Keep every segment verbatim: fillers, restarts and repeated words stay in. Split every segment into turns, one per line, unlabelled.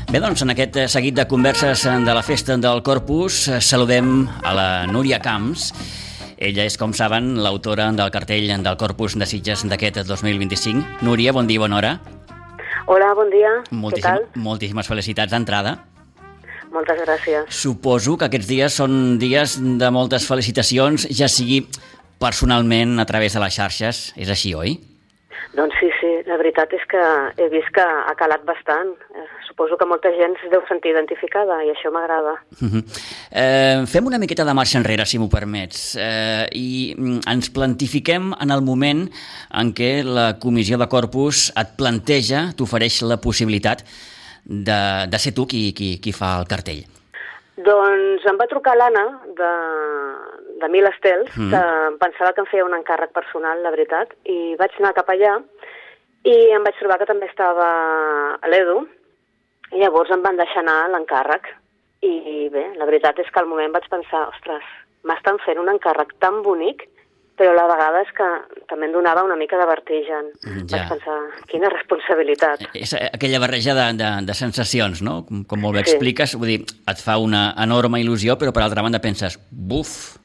Bé, doncs, en aquest seguit de converses de la Festa del Corpus saludem a la Núria Camps. Ella és, com saben, l'autora del cartell del Corpus de Sitges d'aquest dos mil vint-i-cinc. Núria, bon dia i bona hora.
Hola, bon dia.
Moltíssim,
Què tal?
Moltíssimes felicitats d'entrada.
Moltes gràcies.
Suposo que aquests dies són dies de moltes felicitacions, ja sigui personalment a través de les xarxes. És així, oi?
Doncs sí, sí, la veritat és que he vist que ha calat bastant. Eh, suposo que molta gent es deu sentir identificada i això m'agrada.
Uh-huh. eh, fem una miqueta de marxa enrere, si m'ho permets, eh, i ens plantifiquem en el moment en què la Comissió de Corpus et planteja, t'ofereix la possibilitat de, de ser tu qui, qui, qui fa el cartell.
Doncs em va trucar l'Anna de, de Mil Estels, mm. que em pensava que em feia un encàrrec personal, la veritat, i vaig anar cap allà i em vaig trobar que també estava a l'Edu, i llavors em van deixar anar l'encàrrec. I bé, la veritat és que al moment vaig pensar, ostres, m'estan fent un encàrrec tan bonic, però la vegada és que també em donava una mica de vertigen. Ja. Vaig pensar, quina responsabilitat.
És aquella barreja de, de, de sensacions, no? Com, com molt bé sí. expliques, vull dir, et fa una enorme il·lusió, però per altra banda penses, buf,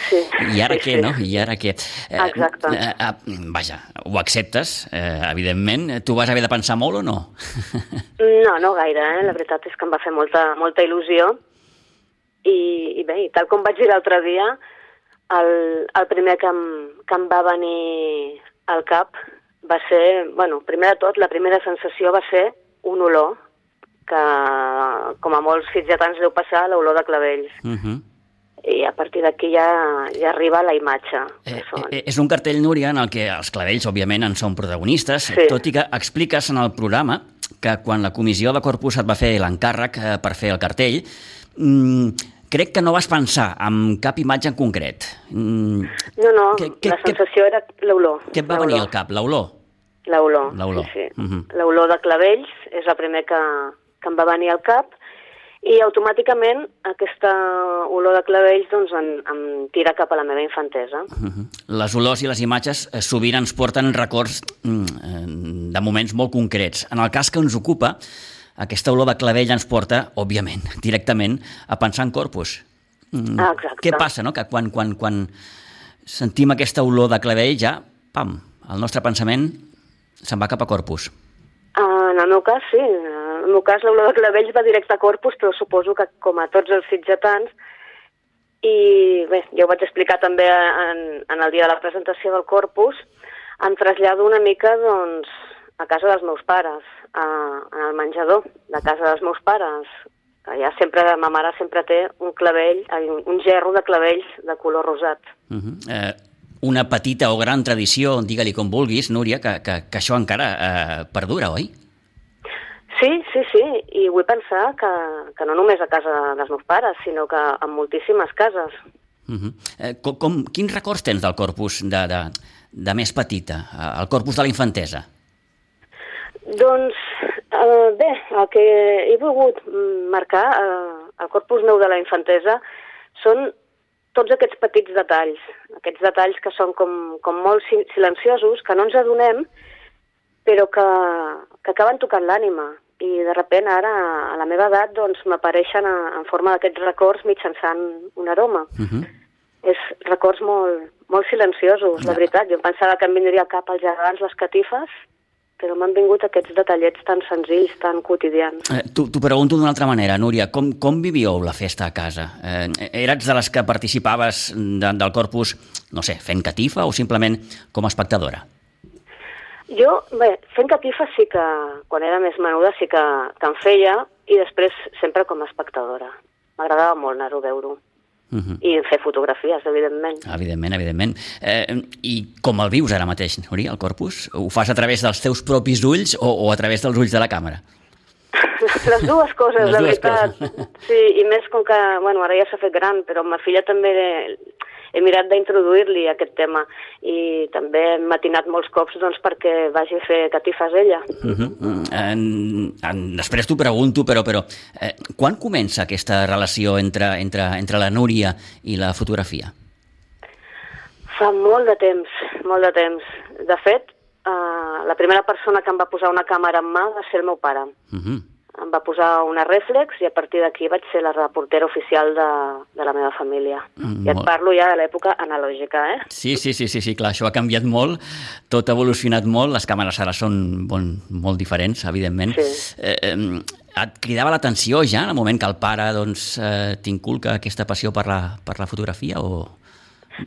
sí.
i ara
sí,
què,
sí.
no? I ara què?
Exacte.
Eh, eh, vaja, ho acceptes, eh, evidentment. Tu vas haver de pensar molt o no?
No, no gaire, eh? La veritat és que em va fer molta, molta il·lusió. I, i bé, i tal com vaig dir l'altre dia, El, el primer que em, que em va venir al cap va ser, bueno, primer de tot, la primera sensació va ser un olor, que com a molts sitgetans deu passar, l'olor de clavells. Uh-huh. I a partir d'aquí ja, ja arriba la imatge.
Eh, eh, és un cartell, Núria, en el que els clavells, òbviament, en són protagonistes, sí. tot i que expliques en el programa que quan la Comissió de Corpus et va fer l'encàrrec eh, per fer el cartell, mmm, crec que no vas pensar en cap imatge en concret. Mm,
no, no,
que, que,
la sensació que, era l'olor.
Què et va venir al cap, l'olor?
L'olor,
l'olor.
sí, sí.
Uh-huh.
L'olor de clavells és la primer que, que em va venir al cap i automàticament aquesta olor de clavells doncs, em, em tira cap a la meva infantesa.
Uh-huh. Les olors i les imatges eh, sovint ens porten records mm, de moments molt concrets. En el cas que ens ocupa, aquesta olor de clavell ens porta, òbviament, directament a pensar en Corpus.
Ah, exacte.
Què passa, no? Que quan, quan, quan sentim aquesta olor de clavell ja, pam, el nostre pensament se'n va cap a Corpus.
Uh, en el meu cas, sí. En el meu cas, l'olor de clavells va directe a Corpus, però suposo que, com a tots els sitgetans, i bé, ja ho vaig explicar també en, en el dia de la presentació del Corpus, em trasllado una mica, doncs, a casa dels meus pares, a, en el menjador de casa dels meus pares, que ja sempre, ma mare sempre té un clavell, un, un gerro de clavells de color rosat.
Uh-huh. eh, una petita o gran tradició, digue-li com vulguis, Núria, que, que, que això encara eh, perdura, oi?
Sí, sí, sí, i vull pensar que, que no només a casa dels meus pares, sinó que en moltíssimes cases.
Uh-huh. eh, com, com, quins records tens del Corpus de, de, de més petita, el Corpus de la infantesa?
Doncs, eh, bé, el que he volgut marcar, eh, el Corpus meu de la infantesa, són tots aquests petits detalls, aquests detalls que són com, com molt silenciosos, que no ens adonem, però que, que acaben tocant l'ànima. I de sobte ara, a la meva edat, doncs m'apareixen en forma d'aquests records mitjançant un aroma. Uh-huh. És records molt, molt silenciosos, la veritat. Jo em pensava que em vindria al cap els gegants, les catifes, però m'han vingut aquests detallets tan senzills, tan quotidians.
Eh, T'ho pregunto d'una altra manera, Núria. Com, com vivíeu la festa a casa? Eh, eres de les que participaves de, del Corpus, no sé, fent catifa o simplement com a espectadora?
Jo, bé, fent catifa sí que, quan era més menuda, sí que, que en feia, i després sempre com a espectadora. M'agradava molt anar-ho a veure-ho. Uh-huh. I fer fotografies, evidentment.
Evidentment, evidentment. Eh, I com el vius ara mateix, Núria, el Corpus? Ho fas a través dels teus propis ulls o, o a través dels ulls de la càmera?
Les dues coses,
Les
la
dues
veritat.
Coses.
Sí, i més com que, bueno, ara ja s'ha fet gran, però amb ma filla també he mirat d'introduir-li aquest tema i també hem matinat molts cops doncs, perquè vagi a fer catifes ella.
Uh-huh. en, en, després t'ho pregunto, però, però eh, quan comença aquesta relació entre, entre, entre la Núria i la fotografia?
Fa molt de temps, molt de temps. De fet, eh, la primera persona que em va posar una càmera en mà va ser el meu pare. Uh-huh. Em em va posar una rèflex i a partir d'aquí vaig ser la reportera oficial de, de la meva família. Mm, I et parlo ja de l'època analògica, eh?
Sí, sí, sí, sí, sí, clar, això ha canviat molt, tot ha evolucionat molt, les càmeres ara són bon, molt diferents, evidentment.
Sí.
Eh, eh, et cridava l'atenció ja en el moment que el pare doncs, eh, t'inculca aquesta passió per la, per la fotografia o...?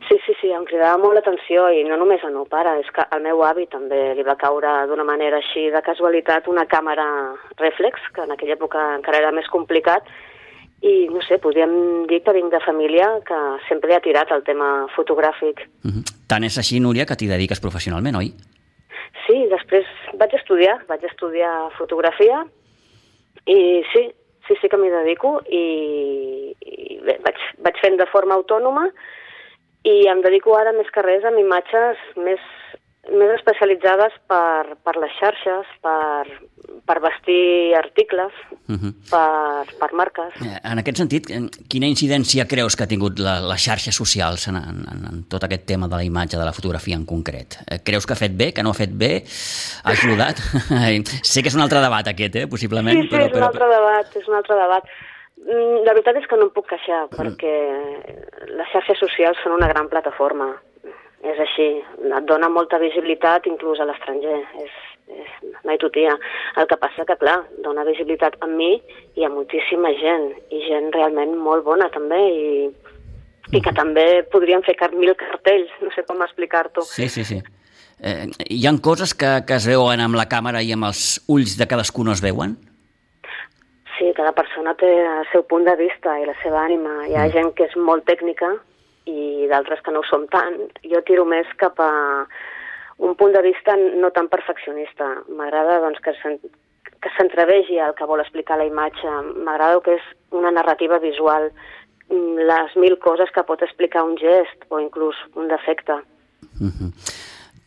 Sí, sí, sí, em cridava molt l'atenció i no només el meu pare, és que al meu avi també li va caure d'una manera així de casualitat una càmera rèflex, que en aquella època encara era més complicat, i no sé, podríem dir que vinc de família que sempre ha tirat el tema fotogràfic.
Uh-huh. Tant és així, Núria, que t'hi dediques professionalment, oi?
Sí, després vaig estudiar, vaig estudiar fotografia i sí, sí, sí que m'hi dedico i, i bé, vaig, vaig fent de forma autònoma i em dedico ara més que res amb imatges més, més especialitzades per, per les xarxes, per, per vestir articles, uh-huh. per, per marques.
En aquest sentit, quina incidència creus que ha tingut la, les xarxes socials en, en, en tot aquest tema de la imatge, de la fotografia en concret? Creus que ha fet bé, que no ha fet bé? Ha ajudat? Sé que és un altre debat aquest, eh, possiblement.
Sí, sí,
però,
és un altre
però...
debat, és un altre debat. La veritat és que no em puc queixar, perquè les xarxes socials són una gran plataforma. És així, et dona molta visibilitat inclús a l'estranger, és, és, mai tutia. El que passa que, clar, dona visibilitat a mi i a moltíssima gent, i gent realment molt bona també, i, i que també podrien fer mil cartells, no sé com explicar-t'ho.
Sí, sí, sí. Eh, hi ha coses que, que es veuen amb la càmera i amb els ulls de cadascú no es veuen?
Sí, cada persona té el seu punt de vista i la seva ànima. Hi ha mm. gent que és molt tècnica i d'altres que no ho som tant. Jo tiro més cap a un punt de vista no tan perfeccionista. M'agrada doncs, que s'entrevegi el que vol explicar la imatge. M'agrada que és una narrativa visual, les mil coses que pot explicar un gest o inclús un defecte.
Mm-hmm.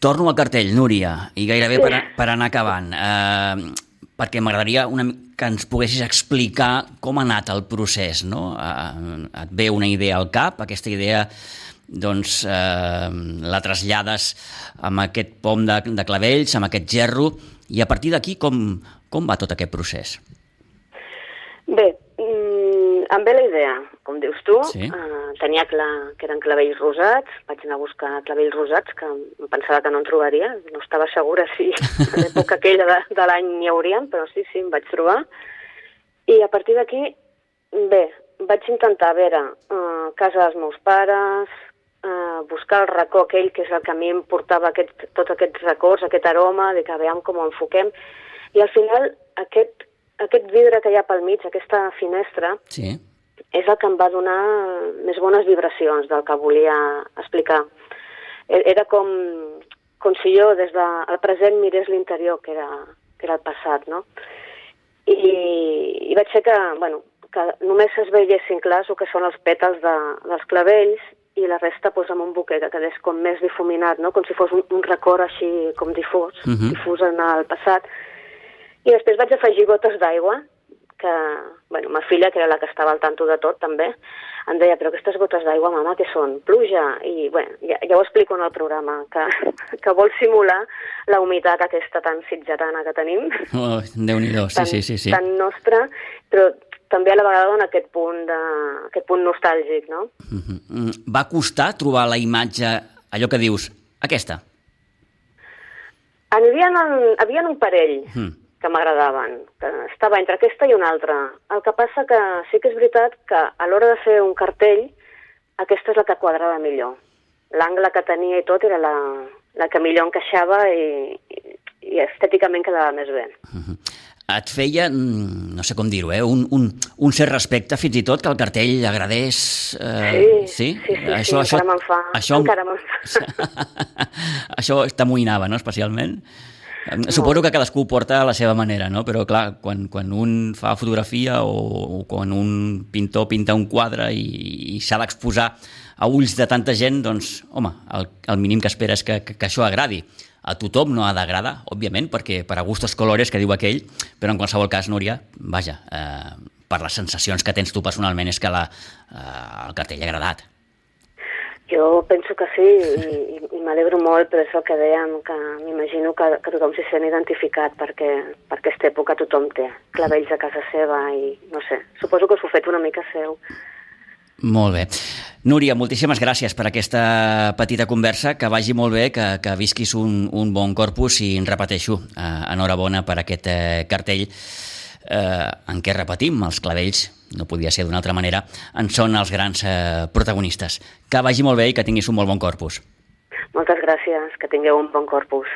Torno al cartell, Núria, i gairebé sí. per, per anar acabant. Eh, perquè m'agradaria una, que ens poguessis explicar com ha anat el procés, no? Eh, et ve una idea al cap, aquesta idea doncs, eh, la trasllades amb aquest pom de, de clavells, amb aquest gerro, i a partir d'aquí com, com va tot aquest procés?
Bé, mm, em ve la idea, com dius tu,
sí.
eh, tenia clar que eren clavells rosats, vaig anar a buscar clavells rosats, que em pensava que no en trobaria, no estava segura si a l'època aquella de, de l'any n'hi haurien, però sí, sí, em vaig trobar. I a partir d'aquí, bé, vaig intentar veure eh, casa dels meus pares, eh, buscar el racó aquell que és el que a mi em portava aquest, tots aquests records, aquest aroma, de que veiem com ho enfoquem, i al final aquest, aquest vidre que hi ha pel mig, aquesta finestra,
sí.
és el que em va donar més bones vibracions del que volia explicar. Era com, com si jo des del present mirés l'interior, que era, que era el passat, no? I, i vaig fer que, bueno, que només es veiessin clars el que són els pètals de, dels clavells i la resta pues, amb un buquet que quedés com més difuminat, no? Com si fos un, un record així com difús, uh-huh. difús en el passat. I després vaig afegir gotes d'aigua, que, bueno, ma filla, que era la que estava al tanto de tot, també, em deia, però aquestes gotes d'aigua, mama, què són? Pluja? I, bueno, ja, ja ho explico en el programa, que, que vol simular la humitat aquesta tan sitgetana que tenim.
Oh, Déu-n'hi-do, sí,
tan,
sí, sí, sí.
Tan nostra, però també a la vegada dona aquest punt, de, aquest punt nostàlgic, no?
Uh-huh. Va costar trobar la imatge, allò que dius, aquesta?
N'hi havia, havia un parell.
Uh-huh.
que m'agradaven, que estava entre aquesta i una altra. El que passa que sí que és veritat que a l'hora de fer un cartell, aquesta és la que quadrava millor. L'angle que tenia i tot era la, la que millor encaixava i, i, i estèticament quedava més bé.
Uh-huh. Et feia, no sé com dir-ho, eh? un, un, un cert respecte fins i tot que el cartell agradés...
Eh... Sí, sí, sí, sí,
això,
sí,
això,
encara me'n fa.
Això,
encara me'n fa.
Això t'amoïnava, no?, especialment? No. Suposo que cadascú porta a la seva manera, no? Però clar, quan, quan un fa fotografia o, o quan un pintor pinta un quadre i, i s'ha d'exposar a ulls de tanta gent, doncs, home, el, el mínim que espera és que, que, que això agradi. A tothom no ha d'agradar, òbviament, perquè per a gustos colores, que diu aquell, però en qualsevol cas, Núria, vaja, eh, per les sensacions que tens tu personalment és que la, eh, el cartell ha agradat.
Jo penso que sí, i, i m'alegro molt, però és el que dèiem, que m'imagino que, que tothom s'hi sent identificat, perquè per aquesta època tothom té clavells a casa seva i, no sé, suposo que s'ho fet una mica seu.
Molt bé. Núria, moltíssimes gràcies per aquesta petita conversa, que vagi molt bé, que, que visquis un, un bon Corpus i en repeteixo, eh, enhorabona per aquest eh, cartell eh, en què repetim, els clavells, no podia ser d'una altra manera, en són els grans eh, protagonistes. Que vagi molt bé i que tinguis un molt bon Corpus.
Moltes gràcies, que tingueu un bon Corpus.